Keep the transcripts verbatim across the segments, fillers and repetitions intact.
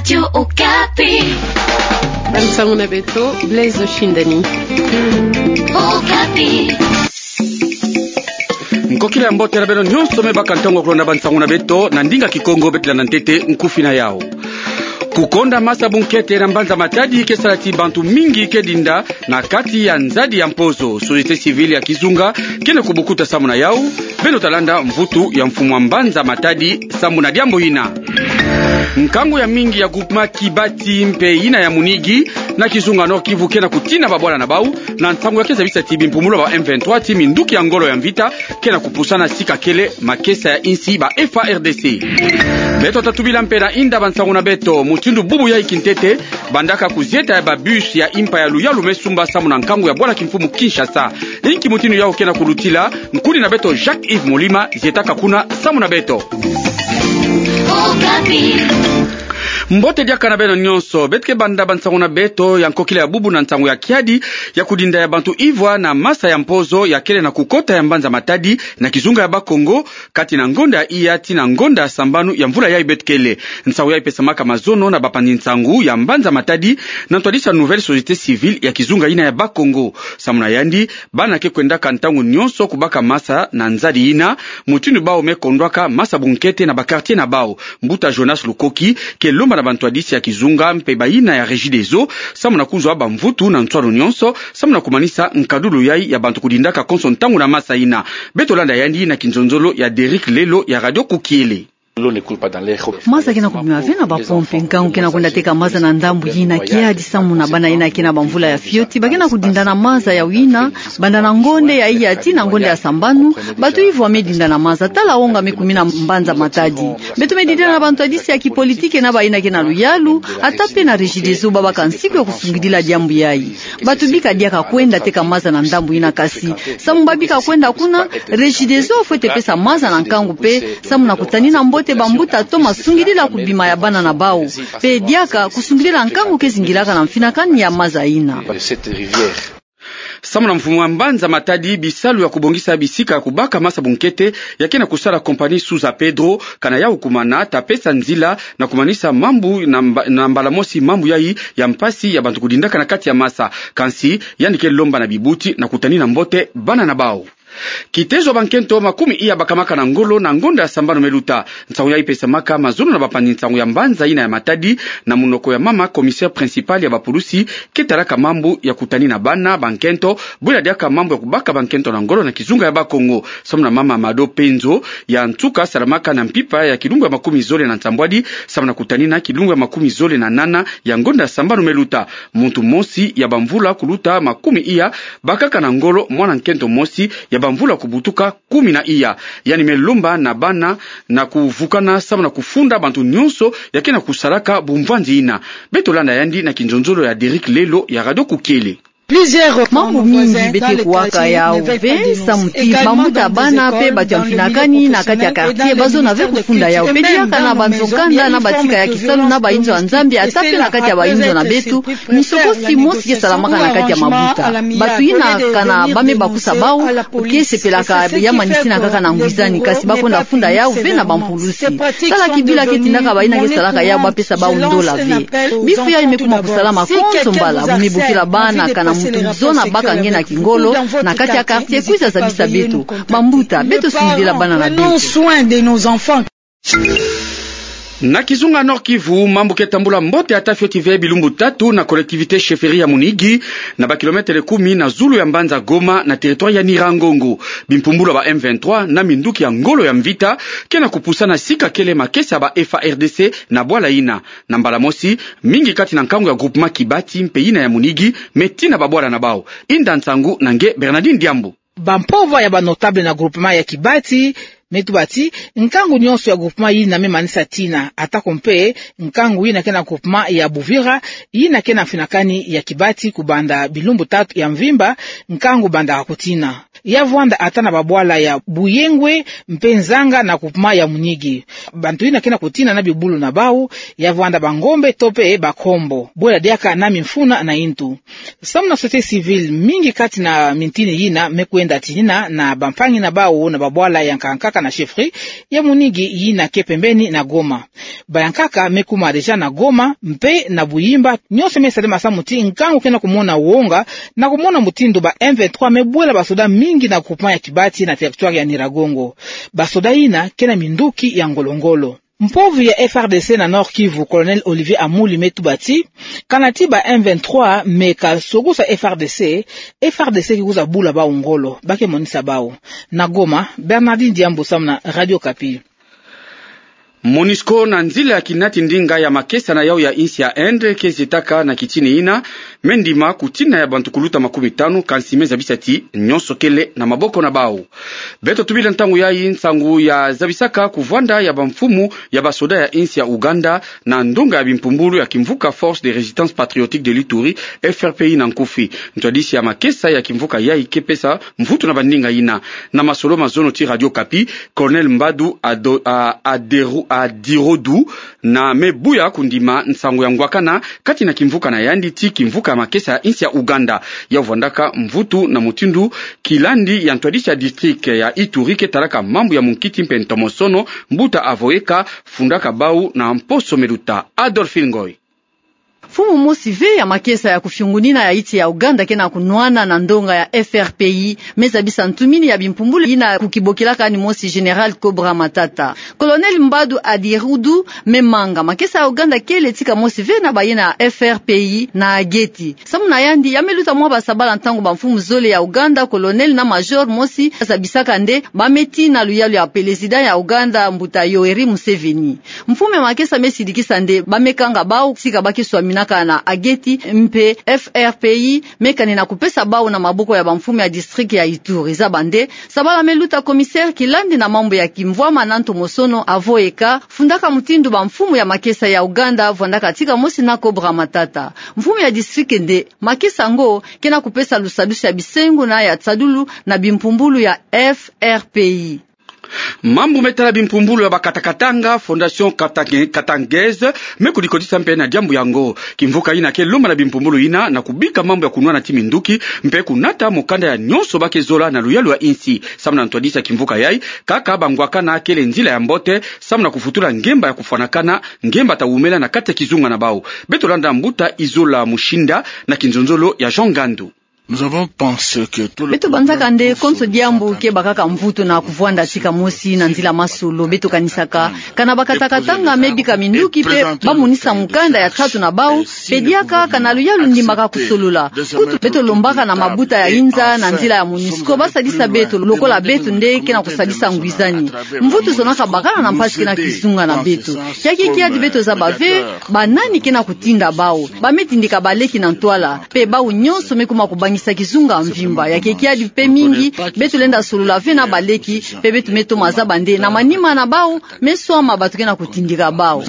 Radio Okapi. Bansango na beto, Blaise Oshindani. Okapi. Nkokila ya mbote na beno nyonso me baka ntangu ya kulanda bansango na beto na ndinga Kikongo. Beto landa ntete nkufi na yau. Kukonda masa bunkete na mbanza Matadi ke sala ti bantu mingi ke dinda na kati ya nzadi ya mpozo. Société civile ya kizunga ke na kubukuta samu na yau. Beno ta landa mvutu ya mfumu wa mbanza Matadi samu na diambu yina. Nkangu ya mingi ya groupement Kibati mpe yina ya Munigi na kizunga Nord-Kivu ke na kutina babwala na bau na nsangu ya ke zabisa ti bimpumulu ba M vingt-trois ti minduki ya ngolo ya mvita ke na kupusana sika kele makesa ya insi ba F A R D C. Beto ta tubila mpe na inda bansango na beto, mutindu bubu yayi kintete, bandaka kuzieta ya ba bus ya impa ya luyalu me sumba samu na nkangu ya bwala kimfumu Kinshasa. Inki mutindu yau ke na kulutila? Nkuni na beto Jacques-Yves Molima zietaka kuna samu na beto. Okapi. Mbote diaka na beno nyonso. Beto ke banda bansango na beto ya nkokila ya bubu na nsangu ya kiadi ya kudinda ya bantu ivwa na masa ya mpozo ya kele na kukota ya mbanza Matadi na kizunga ya Bakongo, kati na ngonda ya iya tii na ngonda ya sambanu ya mvula yayi beto kele. Nsangu yayi pesamaka mazono na bapanzi nsangu ya mbanza Matadi na ntwadisi ya Nouvelle Société Civile ya kizunga yina ya Bakongo. Samu na yandi, bana ke kwendaka ntangu nyonso kubaka masa na nzadi yina, mutindu bau me kondwaka masa bunkete na ba quartier na bau. Mbuta Jonas Lukoki ke lomba na bantwadisi ya kizunga mpe bayina ya Regideso samu na kuzwa bamvutu na nswalu nyonso samu na kumanisa nkadulu yayi ya bantu kudindaka konso ntangu na masa yina. Beto landa yandi na kinzonzolo ya Derrick Lelo ya Radio Kukiele. Masa ke na kubima ve na bapompe, nkangu ke na kwenda teka masa na ndambu yina kiadi samu na bana yina ke na bamvula ya fioti, ba ke na kudinda na masa ya wina, banda na ngonda ya iya tii na ngonda ya sambanu, bantu ivwa me dinda na masa, tala onga me kumina mbanza Matadi. Beto me didila na bantwadisi ya kipolitiki na bayina ke na luyalu, ata mpe na Regideso babaka nsiku ya kusungidila diambu yayi. Bantu bika diaka kwenda teka masa na ndambu yina kasi, samu ba bika kwenda kuna, Regideso fwete pesa masa na nkangu mpe, samu na kutanina mbote bambuta toma sungidila kubima ya bana na bau. Mpe diaka kusungidila nkangu ke zingilaka na mfinakani ya masa yina. Samu na mfumu wa mbanza Matadi, bisalu ya kubongisa bisika ya kubaka masa bunkete ya ke na kusala compagnie Souza Pedro, kana yau kumana, ta pesa nzila na kumanisa mambu na mba-, na mbala mosi mambu yayi ya mpasi ya bantu kudindaka na kati ya masa. Kansi, yandi ke lomba na bibuti na kutanina mbote bana na bau. Kitezo ya bankento makumi iya bakamaka na ngolo na ngonda ya sambanu me luta. Nsangu yayi pesamaka mazono na bapanzi nsangu ya mbanza yina ya Matadi, na munoko ya mama commissaire principal ya bapulusi ke talaka mambu ya kutanina bana bankento, bwela diaka mambu ya kubaka bankento na ngolo na kizunga ya Bakongo. Samu na mama Mado Penzo, ya nsuka salamaka na mpimpa ya kilumbu ya makumi zole na nsambwadi, samu na kutanina kilumbu ya makumi zole na nana ya ngonda ya sambanu me luta. Muntu mosi ya bamvula kuluta makumi iya bakaka na ngolo mwana nkento mosi ya bamvula kubutuka kumi na iya. Yandi me lomba na bana na kuvukana samu na kufunda bantu nyonso ya ke na kusalaka bumvwanzi yina. Beto landa yandi na kinzonzolo ya Derrick Lelo ya Radio Kukiele. Mambu mingi beto ke kuwaka yau ve, samu ti bambuta, bana mpe bantu ya mfinakani na kati ya quartier bazona ve kufunda yau. Mpe diaka na banzo kanda na batika ya kisalu na bayinzo ya Nzambi, ata mpe na kati ya bayinzo na beto, misokosi mosi ke salamaka na kati ya mabuta. Bantu yina kana ba me bakusa bau, ke sepelaka ya manisina kaka na ngwizani, kansi ba kwenda funda yau ve na bampulusi. Tala kibila ke tindaka bayina ke salaka yau ba pesa bau ndola ve. Bifu yayi me kuma kusalama konso mbala, bu me bokila bana kana muntu zona baka nge na kingolo na kati ya quartier, kwiza zabisa beto. Bambuta, beto sungidila bana na beto. Na kizunga Nord-Kivu, mambu ke tambula mbote ata fioti ve bilumbu tatu na collectivité chefferie ya Munigi, na ba kilomètre kumi na zulu ya mbanza Goma, na territoire ya Nyiragongo. Bimpumbulu ya ba M vingt-trois na minduki ya ngolo ya mvita ke na kupusana sika kele makesa ya ba F A R D C na bwala yina. Na mbala mosi, mingi kati na nkangu ya groupement Kibati mpe yina ya Munigi me tina babwala na bau. Inda nsangu na nge Bernardine Diambu. Bampovwa ya ba notable na groupement ya Kibati me tuba ti nkangu nyonso ya groupement yina me manisa tina, atako mpe nkangu yina ke na groupement ya Buvira, yina ke na mfinakani ya Kibati, kubanda bilumbu tatu ya mvimba, nkangu bandaka kutina. Ya vwanda ata na babwala ya Buyengwe mpe Nzanga na groupement ya Munigi. Bantu yina ke na kutina na bibulu na bau, ya vwanda Bangombe to mpe Bakombo, bwela diaka na mimfuna na intu. Samu na société civile, mingi kati na mintini yina me kwenda tinina na bampangi na bau na babwala ya nkaka nkaka na chefferie ya Munigi yina ke pembeni na Goma. Bayankaka me kuma déjà na Goma mpe na Buyimba, nyonso me salama samu ti nkangu ke na kumona wonga, na kumona mutindu ba M vingt-trois me bwela basoda mingi na groupement ya Kibati na territoire ya Nyiragongo. Basoda yina ke na minduki ya ngolo-ngolo. Mpovi ya F R D C na Nord-Kivu, Colonel Olivier Amuli, me tuba ti, kana ti ba M vingt-trois me ka sokusa F R D C, F R D C ke kwiza bula bau ngolo, ba ke monisa bau. Na Goma, Bernardine Diambu samu na Radio Okapi. Monusco, na nzila ya kinati ndinga ya makesa na yau ya insi ya Inde, ke zietaka na kitini yina, me ndima kutina ya bantu kuluta makumi tanu, kansi me zabisa ti nyonso kele na maboko na bau. Beto tubila ntangu yayi nsangu ya zabisaka kuvwanda ya bamfumu ya basoda ya insi ya Ouganda na ndonga ya bimpumbulu ya kimvuka Force de Résistance Patriotique de l'Ituri, F R P I na nkufi. Ntwadisi ya makesa ya kimvuka yayi ke pesa mvutu na bandinga yina. Na masolo mazono ti Radio Okapi, Colonel Mbadu Ado-, a-, Aderu-, Adirodu, na me buya kundima nsangu ya ngwakana kati na kimvuka na yandi ti kimvuka ya makesa ya insi ya Ouganda. Ya vwandaka mvutu na mutindu kilandi ya ntwadisi ya district ya Ituri ke talaka mambu ya munkiti mpe ntomosono, mbuta Avoyeka, fundaka bau na mposo meluta. Adolphine Ngoy. Mfumu mosi ve ya makesa ya kufiungunina ya insi ya Ouganda ke na kunwana na ndonga ya F R P I, me zabisa ntumini ya bimpumbulu yina kukibokelaka ni mosi Général Cobra Matata. Colonel Mbadu Adirudu me manga makesa ya Ouganda kele tika mosi ve na bayina ya F R P I na geti. Samu na yandi, ya me luta mwa basabala ntangu bamfumu zole ya Ouganda, colonel na major mosi, zabisaka nde ba me tina luyalu ya pelezida ya Ouganda, mbuta Yoweri Museveni. Mfumu ya makesa me sidikisa nde ba me kanga bau tika ba ke swaminaka na geti, mpe F R P I me kanina kupesa bau na maboko ya bamfumu ya district ya Ituri. Zaba nde sabala me luta commissaire kilandi na mambu ya kimvwama na ntomosono Avoyeka, fundaka mutindu bamfumu ya makesa ya Ouganda vwandaka tika mosi na Cobra Matata. Mfumu ya district nde makesa yango ke na kupesa lusadusu ya bisengo na ya tsadulu na bimpumbulu ya F R P I. Mambu me tala bimpumbulu ya bakatakatanga, Fondation Katang-, Katangais, me kudikotisa mpe na diambu yango. Kimvuka yina ke lomba na bimpumbulu yina na kubika mambu ya kunwana ti minduki, mpe kunata mukanda ya nyonso ba ke zola na luyalu ya insi. Samu na ntwadisi ya kimvuka yayi, kaka bangwakana kele nzila ya mbote samu na kufutula ngemba ya kufwanakana, ngemba ta wumela na kati ya kizunga na bau. Beto landa mbuta Izola Mushinda na kinzonzolo ya Jean Ngandu. Beto banzaka nde konso diambu ke bakaka mvutu na kuvwanda tika mosi na nzila masolo. Beto kanisaka kana bakatakatanga me bika minduki mpe ba monisa mukanda ya tatu na bau, mpe diaka kana luyalu ndimaka kusolola. Kutu beto lombaka na mabuta ya inza na nzila ya Monusco ba sadisa beto, lokola beto nde ke na kusadisa ngwizani. Mvutu zonaka bakala na mpasi ke na kizunga na beto. Ya kikiadi beto zaba ve ba nani ke na kutinda bau. Ba me tindika baleki na ntwala, mpe bau nyonso me kuma kubangisa kizunga mvimba. Ya kikiadi mpe mingi, beto lenda solola ve na baleki, mpe beto me toma zaba nde na manima na bau me swama bato ke na kutindika bau.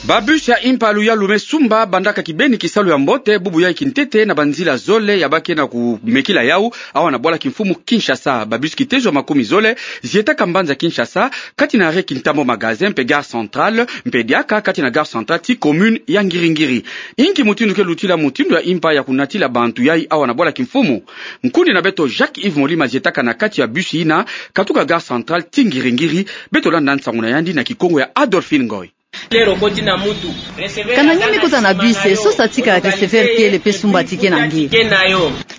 Ba bus ya impa luyalu me sumba bandaka kibeni kisalu ya mbote bubu yayi kintete na banzila zole ya ba ke na kumekila yau, awa na bwala kimfumu Kinshasa. Ba bus kitezo ya makumi zole zietaka mbanza Kinshasa, kati na arrêt Kintambo Magasin mpe Gare Centrale, mpe diaka kati na Gare Centrale ti commune ya Ngiri-Ngiri. Inki mutindu ke lutila mutindu ya impa ya kunatila bantu yayi awa na bwala kimfumu? Nkundi na beto Jacques-Yves Molima zietaka na kati ya bus yina katuka Gare Centrale ti Ngiri-Ngiri, beto landa nsangu na yandi na Kikongo ya Adolphine Ngoy. Kana nge me kota na bus, sosa tika receveur kele mpe sumba ticket na nge.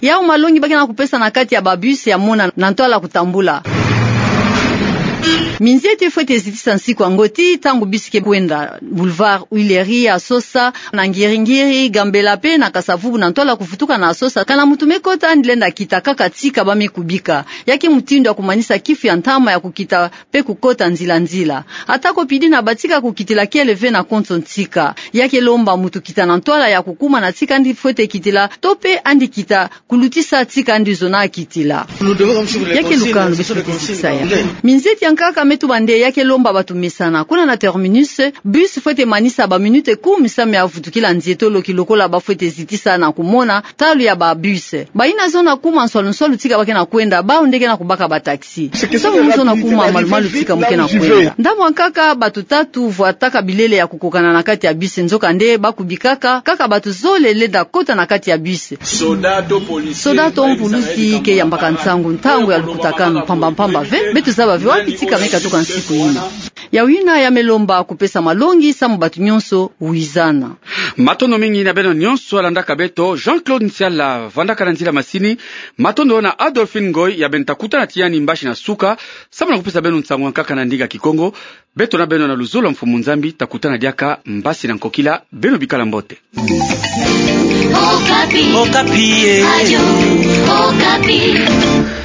Yau malongi ba ke na kupesa na kati ya ba bus ya mona na ntwala kutambula. Minzeti fwete zitisa nsiku yango ti ntangu bus ke kwenda Boulevard Huilerie ya sosa, na Ngiri-Ngiri, Gambela mpe na Kasa-Vubu na ntwala kuvutuka na sosa. Kana mutu me kota andi lenda kita kaka tika ba me kubika. Ya ke mutindu ya kumanisa kifu ya ntama ya kukita mpe kukota nzila-nzila. Ata ko pidi na batika kukitila kele ve na konso ntika. Ya ke lomba mutu kita na ntwala ya kukuma na tika andi fwete kitila, to mpe andi kita kulutisa tika andi zona kitila. Ya ke lukanu beto fwete zitisa ya. Minzeti ya nkaka Me tuba'nde ya ke lomba bato mesana. Kuna na terminus, bus fwete manisa ba minute kumi samu ya vutukila nzietolo, ki lokola ba fwete zitisa na kumona talu ya ba bus. Bayina zona kuma nswalu nswalu tika ba ke na kwenda, bawu nde ke na kubaka ba taxi. Ntangu mu zona kuma malu-malu tika mu ke na kwenda. Ndambu ya nkaka, bato tatu vwataka bilele ya kukokana na kati ya bus, nzokande ba kubikaka kaka bato zole lenda kota na kati ya bus. Soda to mpulusi ke yambaka nsangu ntangu ya lukutakanu mpamba-mpamba ve. Beto zaba ve wapi tika me katuka nsiku yina. Yawu yina ya me lomba kupesa malongi samu bato nyonso wizana. Matondo mingi na beno nyonso ya landaka beto. Jean-Claude Nsiala vandaka na nzila masini. Matondo na Adolphine Ngoy ya bento ta kutana tiya ni mbasi na suka samu na kupesa beno nsangu ya nkaka na ndinga Kikongo. Beto na beno na luzolo ya Mfumu Nzambi, ta kutana diaka mbasi na nkokila. Beno bikala mbote. Okapi. Okapi, eh. Radio Okapi.